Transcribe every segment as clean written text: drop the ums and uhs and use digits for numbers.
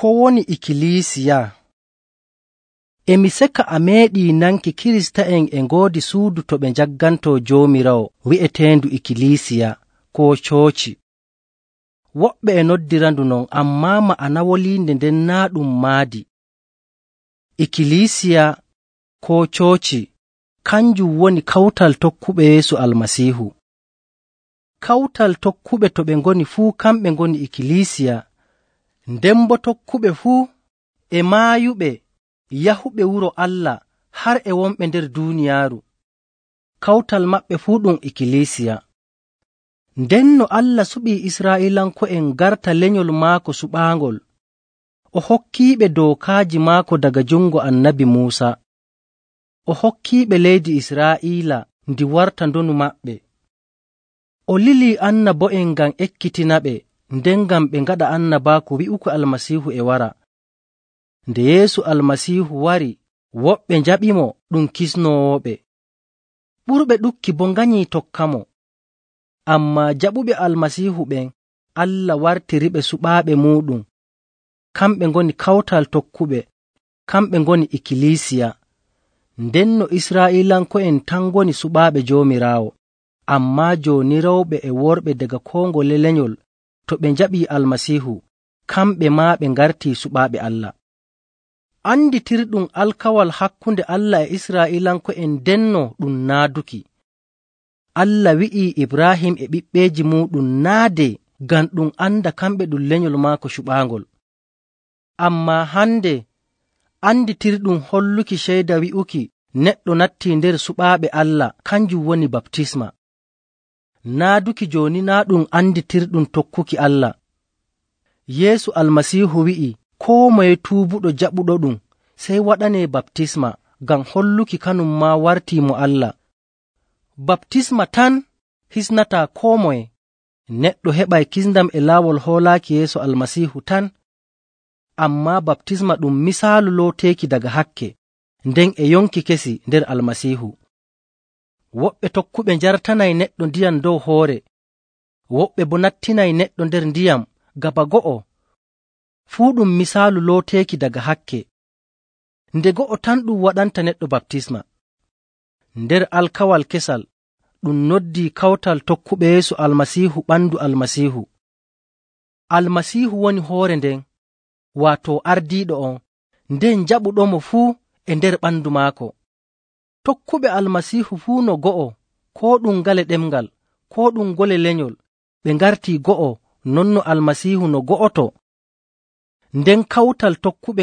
Ko woni ikkilisiya? E mi seka a meeɗii nanki Kirista'en e ngoodi suudu to ɓe njaggantoo Joomiraawo wi'eteendu ikkilisiya koo cooci. Woɓɓe e noddirandu non, ammaa ma'ana woliinde nden naa' ɗum maadi. Ikkilisiya koo cooci kanjum woni kawtal tokkuɓe Yeesu Almasiihu. Kawtal tokkuɓe to ɓe ngoni fuu kamɓe ngoni ikkilisiya, nden boo tokkuɓe fuu e maayuɓe yahuɓe wuro Allah har e wonɓe nder duuniyaaru. Kawtal maɓɓe fuu ɗum ikkilisiya. Nden no Allah suɓii Israa'iilanko'en garta lenyol maako suɓaangol, o hokkiiɓe dookaaji maako daga jungo Annabi Muusa. O hokkiiɓe leydi Israa'iila ndi warta ndonu maɓɓe. O lilii annabo'en ngam ekkitinaɓe, nden ngam ɓe ngaɗa annabaaku wi'uki Almasiihu e wara. Nde Yeesu Almasiihu wari, woɓɓe njaɓimo ɗum kisnoowoɓe. Ɓurɓe ɗuɗki boo nganyii tokkamo. Ammaa jaɓuɓe Almasiihu ɓen, Allah wartiriɓe suɓaaɓe muuɗum. Kamɓe ngoni kawtal tokkuɓe, kamɓe ngoni ikkilisiya. Ndenno Israa'iilanko'en tan ngoni suɓaaɓe Joomiraawo, ammaa jooni rewɓe e worɓe daga koo ngole lenyol to ɓe njaɓii Almasiihu, kamɓe maa ɓe ngartii suɓaaɓe Allah. Anditirɗum alkawal hakkunde Allah e Israa'iilanko'en ndenno ɗum naaduki. Allah wi'ii Ibraahim e ɓiɓɓeeji muuɗum naade ngam ɗum anda kamɓe ɗum lenyol maako suɓaangol. Ammaa hande anditirɗum holluki ceyda wi'uki neɗɗo nattii nder suɓaaɓe Allah kanjum woni baptisma. Naaduki jooni naa ɗum anditirɗum tokkuki Allah. Yeesu Almasiihu wi'i koo moye tuubuɗo jaɓuɗo ɗum sey waɗanee baptisma ngam holluki kanum maa wartii mo Allah. Baptisma tan hisnataa koo moye. Neɗɗo heɓay kisndam e laawol hoolaaki Yeesu Almasiihu tan. Ammaa baptisma ɗum misaalu looteeki daga hakke, nden e yonki kesi nder Almasiihu. Woɓɓe tokkuɓe njartanay neɗɗo ndiyam dow hoore, woɓɓe boo nattinay neɗɗo nder ndiyam gaba go'o. Fuu ɗum misaalu looteeki daga hakke. Nde go'o tan ɗum waɗanta neɗɗo baptisma. Nder alkawal kesal ɗum noddii kawtal tokkuɓe Yeesu Almasiihu ɓandu Almasiihu. Almasiihu woni hoore nden, waato ardiiɗo on, nden jaɓuɗomo fuu e nder ɓandu maako. Tokkuɓe Almasiihu fuu no go'o, koo ɗum ngale ɗemngal, koo ɗum ngole lenyol, ɓe ngartii go'o non no Almasiihu no go'oto. Nden kawtal tokkuɓe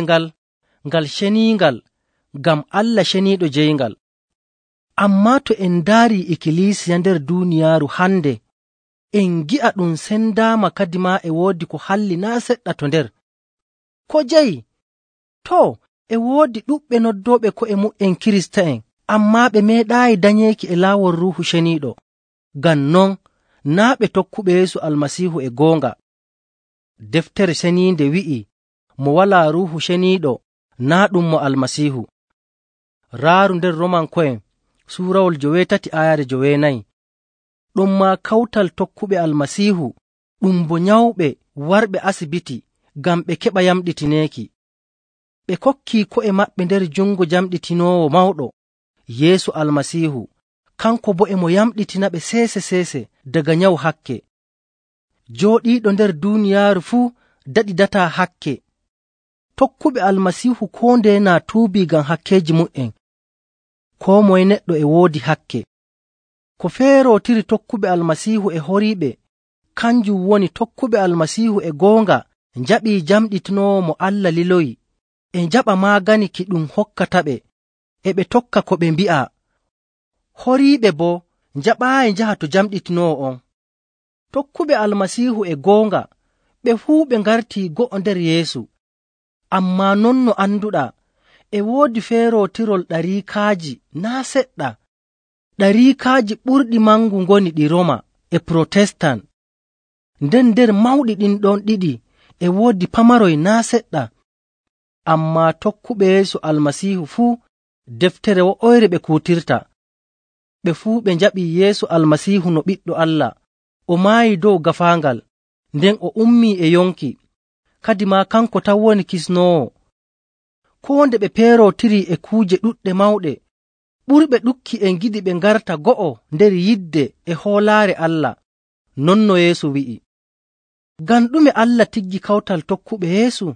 ngal ceniingal, ngam Allah ceniiɗo jeyngal. Ammaa to en ndaarii ikkilisiya nder duuniyaaru hande, en ngi'a ɗum sendaama kadi maa e woodi ko halli naa' seɗɗa to nder. Ko jeyi? Too, e woodi ɗuɓɓe noddooɓe ko'e mu'en Kirista'en, ammaa ɓe meeɗaayi danyeeki e laawol Ruuhu Ceniiɗo. Ngam non, naa' ɓe tokkuɓe Yeesu Almasiihu e goonga. Deftere Ceniinde wi'ii, mo walaa Ruuhu Ceniiɗo naa' ɗum mo Almasiihu. Raaru nder Romanko'en suurawol 8 ayare 9. Ɗummaa kawtal tokkuɓe Almasiihu ɗum bo nyawɓe warɓe asibiti ngam ɓe keɓa yamɗitineeki. Ɓe kokkii ko'e maɓɓe nder jungo jamɗitinoowo mawɗo, Yeesu Almasiihu, kanko boo e mo yamɗitinaɓe seese daga nyawu hakke. Jooɗiiɗo nder duuniyaaru fuu daɗidataa hakke. Tokkuɓe Almasiihu koo ndeye naa tuubii ngam hakkeeji mu'en. Koo moye neɗɗo e woodi hakke. Ko feerootiri tokkuɓe Almasiihu e horiiɓe kanjum woni tokkuɓe Almasiihu e goonga njaɓii jamɗitinoowo mo Allah liloyi, e njaɓa maagani ki ɗum hokkataɓe, e ɓe tokka ko ɓe mbi'a. Horiiɓe boo njaɓaayi njaha to jamɗitinoowo on. Tokkuɓe Almasiihu e goonga ɓe fuu ɓe ngartii go'o nder Yeesu. Ammaa non no anduɗaa, e woodi feerootirol ɗariikaaji naa' seɗɗa. Ɗariikaaji ɓurɗi mangu ngoni ɗi Roma e Protestan. Nden nder mawɗi ɗin ɗon ɗiɗi e woodi pamaroy naa' seɗɗa. Ammaa tokkuɓe Yeesu Almasiihu fuu deftere wo'oyre ɓe kuutirta. Ɓe fuu ɓe njaɓii Yeesu Almasiihu no Ɓiɗɗo Allah. O maayi dow gaafaangal, nden o ummii e yonki, kadi maa kanko tan woni kisnoowo. Koo nde ɓe peerootirii e kuuje ɗuɗɗe mawɗe, ɓurɓe ɗukki e ngiɗi ɓe ngarta go'o nder yidde e hoolaare Allah. Non no Yeesu wi'i. Ngam ɗume Allah tiggi kawtal tokkuɓe Yeesu?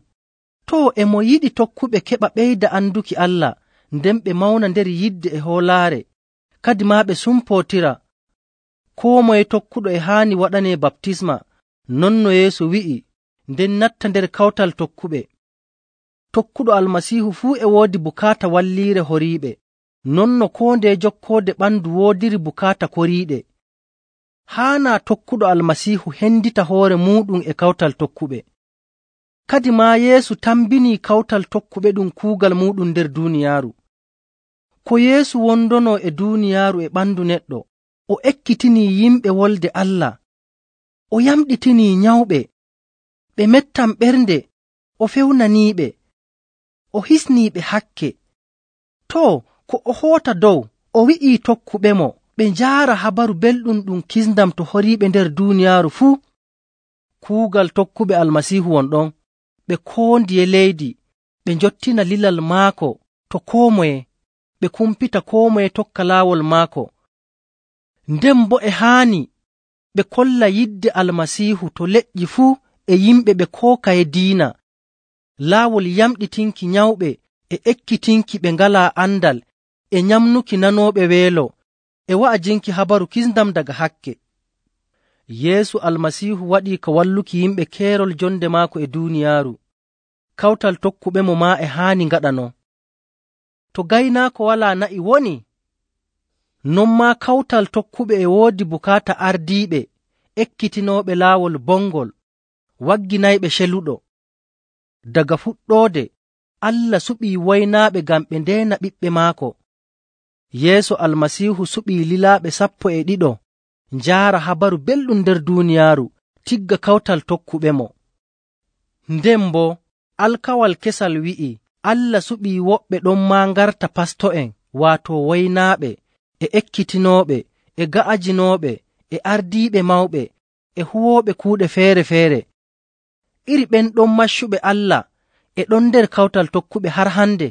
Too, e mo yiɗi tokkuɓe keɓa ɓeyda anduki Allah, nden ɓe mawna nder yidde e hoolaare, kadi maa ɓe sumpootira. Koo moye tokkuɗo e haani waɗanee baptisma, non no Yeesu wi'i, nden natta nder kawtal tokkuɓe. Tokkuɗo Almasiihu fuu e woodi bukaata walliire horiiɓe, non no koo ndeye jokkoode ɓandu woodiri bukaata koriiɗe. Haanaa tokkuɗo Almasiihu hendita hoore muuɗum e kawtal tokkuɓe. Kadi maa Yeesu tambinii kawtal tokkuɓe ɗum kuugal muuɗum nder duuniyaaru. Ko Yeesu wondonoo e duuniyaaru e ɓandu neɗɗo, o ekkitinii yimɓe wolde Allah, o yamɗitinii nyawɓe, ɓe mettam ɓernde, o fewnaniiɓe, o hisniiɓe hakke. Too, ko o hoota dow, o wi'ii tokkuɓemo ɓe njaara habaru belɗum ɗum kisndam to horiiɓe nder duuniyaaru fuu. Kuugal tokkuɓe Almasiihu won ɗon, ɓe koo ndiye leydi, ɓe njottina lilal maako to koo moye, ɓe kumpita koo moye tokka laawol maako. Nden boo e haani ɓe kolla yidde Almasiihu to leƴƴi fuu e yimɓe ɓe kookaye diina, laawol yamɗitinki nyawɓe e ekkitinki ɓe ngalaa andal e nyamnuki nanooɓe weelo e wa'ajinki habaru kisndam daga hakke. Yeesu Almasiihu waɗii ka walluki yimɓe keerol jonde maako e duuniyaaru. Kawtal tokkuɓemo maa e haani ngaɗa non. To gaynaako walaa na'i woni, non maa kawtal tokkuɓe e woodi bukaata ardiiɓe, ekkitinooɓe laawol bongol, wagginayɓe celuɗo. Daga fuɗɗoode, Allah suɓii waynaaɓe ngam ɓe ndeena ɓiɓɓe maako. Yeesu Almasiihu suɓii lilaaɓe 12 njaara habaru belɗum nder duuniyaaru tigga kawtal tokkuɓemo. Nden boo alkawal kesal wi'i Allah suɓii woɓɓe ɗon maa ngarta pasto'en, waato waynaaɓe, e ekkitinooɓe, e ga'ajinooɓe, e ardiiɓe mawɓe, e huwooɓe kuuɗe feere‑feere. Iri ɓen ɗon maccuɓe Allah e ɗon nder kawtal tokkuɓe har hande.